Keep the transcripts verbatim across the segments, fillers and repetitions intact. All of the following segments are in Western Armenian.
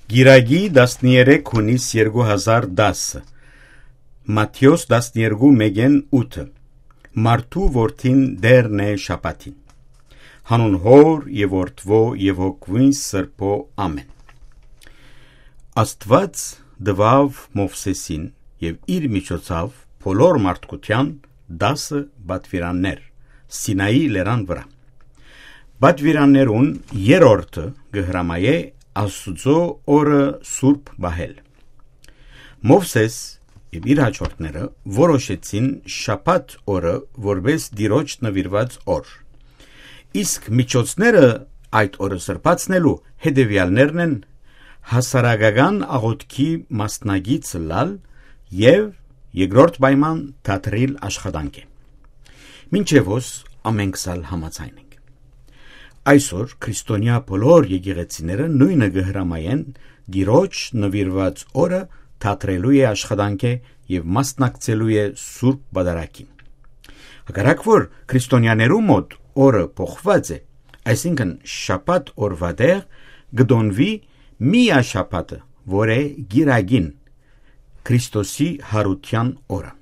Կիրակի, տասներեք յունիս երկու հազար տասը, Մատթէոս տասներկու մէկէն ութը, մարդու որդին Տէրն է շաբաթին։ Հանուն Հօր եւ Որդւոյ եւ Հոգւոյն Սրբոյ, ամէն։ Աստուած տուաւ Մովսէսին եւ իր միջոցաւ բոլոր մարդկութեան տասը պատուիրաններ Սինայի լերան վրայ։ Պատուիրաններուն երրորդը կը հրամայէ Աստուծոյ օրը սուրբ պահել։ Մովսէս եւ իր յաջորդները որոշեցին շաբաթ օրը որպէս Տիրոջ նուիրուած օր։ Իսկ միջոցները այդ օրը սրբացնելու հետեւեալներն են՝ հասարակական աղօթքի մասնակից ըլլալ եւ երկրորդ պայման՝ դադրիլ աշխատանքը։ Մինչեւ հոս ամէնքս ալ համաձայն ենք։ Այսօր քրիստոնեայ բոլոր եկեղեցիները նոյնը կը հրամայեն Տիրոջ նուիրուած օրը դադրելու է աշխատանքը եւ մասնակցելու է Սուրբ Պատարագին։ Հակառակ որ քրիստոնեաներու մօտ օրը փոխուած է, այսինքն շաբաթ օրուա տեղ կը տոնուի միա շաբաթը, որ է կիրակին, Քրիստոսի յարութեան օրը։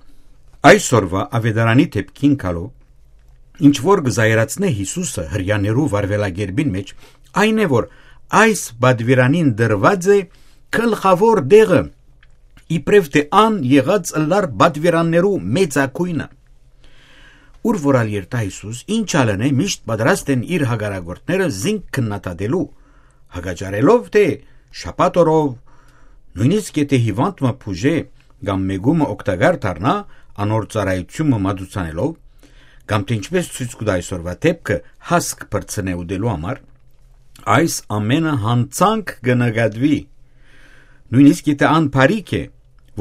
Այսօրուա աւետարանի դէպքին գալով, ինչ որ կը զայրացնէ Յիսուսը Հրեաներու վարուելակերպին մէջ, այն է, որ այս պատուիրանին տրուած է գլխաւոր տեղը, իբրեւ թէ ան եղած ըլլար պատուիրաններու մեծագոյնը։ Ուր որ ալ երթայ Յիսուս, ինչ ալ ընէ, միշտ պատրաստ են իր հակառակորդները զինք քննադատելու, հակաճառելով թէ շաբաթ օրով, նոյնիսկ եթէ հիւանդ մը բուժէ կամ մեկու մը օգտակար դառնայ, անոր ծառայութիւն մը մատուցանելով, կամ թէ ինչպէս ցոյց կու տայ այսօրուա դէպքը՝ հասկ փրցնէ ուտելու համար, այս ամէնը յանցանք կը նկատուի, նոյնիսկ եթէ ան բարիք է,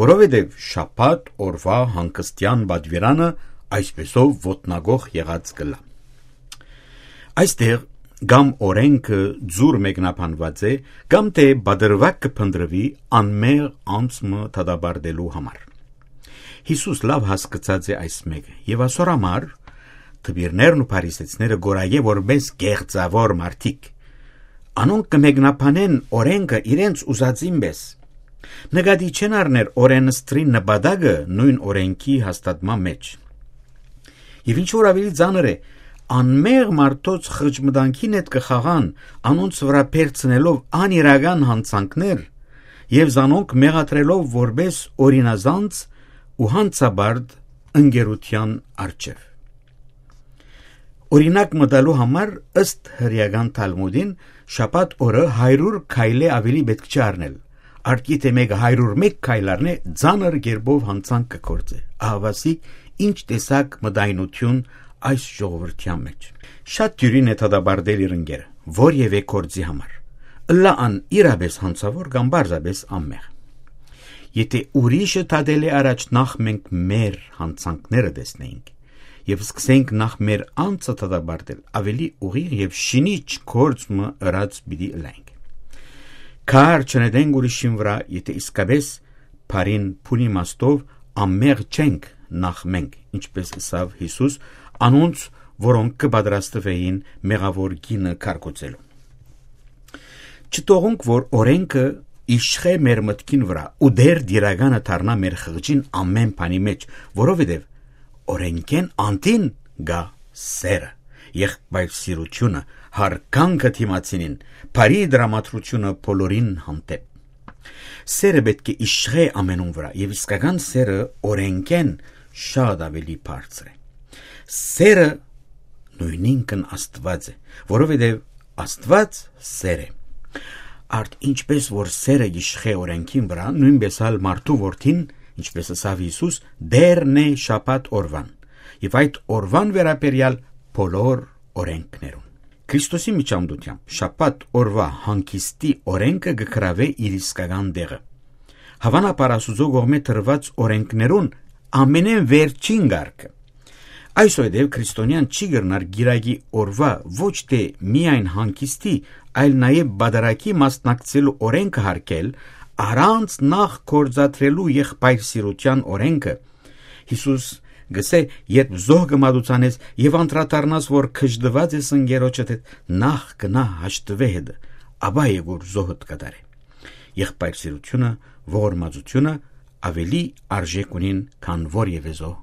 որովհետեւ շաբաթ օրուա հանգստեան պատուիրանը այսպէսով ոտնակոխ եղած կ'ըլլայ։ Այստեղ կամ օրէնքը ձուր մեկնաբանուած է, կամ թէ պատրուակ կը փնտռուի անմեղ անձ մը դատապարտելու համար։ Յիսուս լաւ հասկցած է այս մէկը եւ ասոր համար դպիրներն ու փարիսեցիները կ'որայ որպէս կեղծաւոր մարդիկ։ Անոնք կը մեկնաբանեն օրէնքը իրենց ուզածին պէս։ Նկատի չեն առներ օրէնսդրի նպատակը նոյն օրէնքի հաստատման մէջ։ Եւ ինչ որ աւելի ծանր է, անմեղ մարդոց խղճմտանքին հետ կը խաղան, անոնց վրայ բերցնելով անիրական յանցանքներ եւ զանոնք մեղադրելով որպէս օրինազանց ու յանցապարտ ընկերութեան առջեւ։ Օրինակ մը տալու համար, ըստ հրեական Թալմուդին, շաբաթ օրը հարիւր քայլէ աւելի պէտք չէ առնել։ Արտի թէ մէկը հարիւր մէկ քայլ առնէ, ծանր կերպով յանցանք կը գործէ։ Ահաւասիկ ինչ տեսակ մտայնութիւն այս ժողովրդեան մէջ։ Շատ դիւրին է դատապարտել իր ընկերը, որեւէ գործի համար, ըլլայ ան իրապէս յանցաւոր կամ պարզապէս անմեղ։ Եթէ ուրիշը դատելէ առաջ նախ մենք մեր յանցանքները տեսնենք եւ սկսենք նախ մեր անձը դատապարտել, աւելի ուղիղ եւ շինիչ գործ մը ըրած պիտի ըլլայինք։ Քար չնետենք ուրիշին վրայ, եթէ իսկապէս բարին բուն իմաստով անմեղ չենք նախ մենք, ինչպէս ըսաւ Յիսուս անոնց, որոնք կը պատրաստուէին մեղաւոր կինը քարկոծելու։ Չթողունք, որ օրէնքը իշխէ մեր մտքին վրայ ու դեր տիրականը դառնայ մեր խղճին ամէն բանի մէջ, որովհետեւ օրէնքէն անդին գայ սէրը, եղբայրսիրութիւնը, յարգանքը դիմացինին, բարի տրամադրութիւնը բոլորին հանդէպ։ Սէրը պէտք է իշխէ ամենուն վրայ, եւ իսկական սէրը օրէնքէն շատ աւելի բարձր է։ Սէրը նոյնինքն Աստուած է, որովհետեւ Աստուած սէր է։ Արդ ինչպէս որ սէրը գիշխէ օրէնքին վրայ, նոյնպէս ալ մարդու որդին, ինչպէս ըսաւ Յիսուս, Տէրն է շաբաթ օրուան, եւ այդ օրուան վերաբերեալ բոլոր օրէնքներուն։ Քրիստոսի միջամտությամբ շաբաթ օրուայ հանգիստի օրէնքը կը գրաւէ իր իսկական տեղը։ Հաւանաբար Աստուծոյ կողմէ տրուած օրէնքներուն ամենէն վերջին կարգը։ Այսուհետեւ քրիստոնեան չի կրնար կիրակի օրուայ ոչ թէ միայն հանգիստի, այլ նաեւ պատարագի մասնակցելու օրէնքը յարգել, առանց նախ գործադրելու եղբայրսիրութեան օրէնքը։ Յիսուս կ'ըսէ. «Երբ զոհ կը մատուցանես եւ անդրադառնաս, որ գժտուած ես ընկերոջդ հետ, նախ գնա հաշտուէ հետը, ապա եկուր զոհդ կատարէ»։ Եղբայր սիրութիւնը, ողորմածութիւնը աւելի արժէք ունին, քան որեւէ զոհ։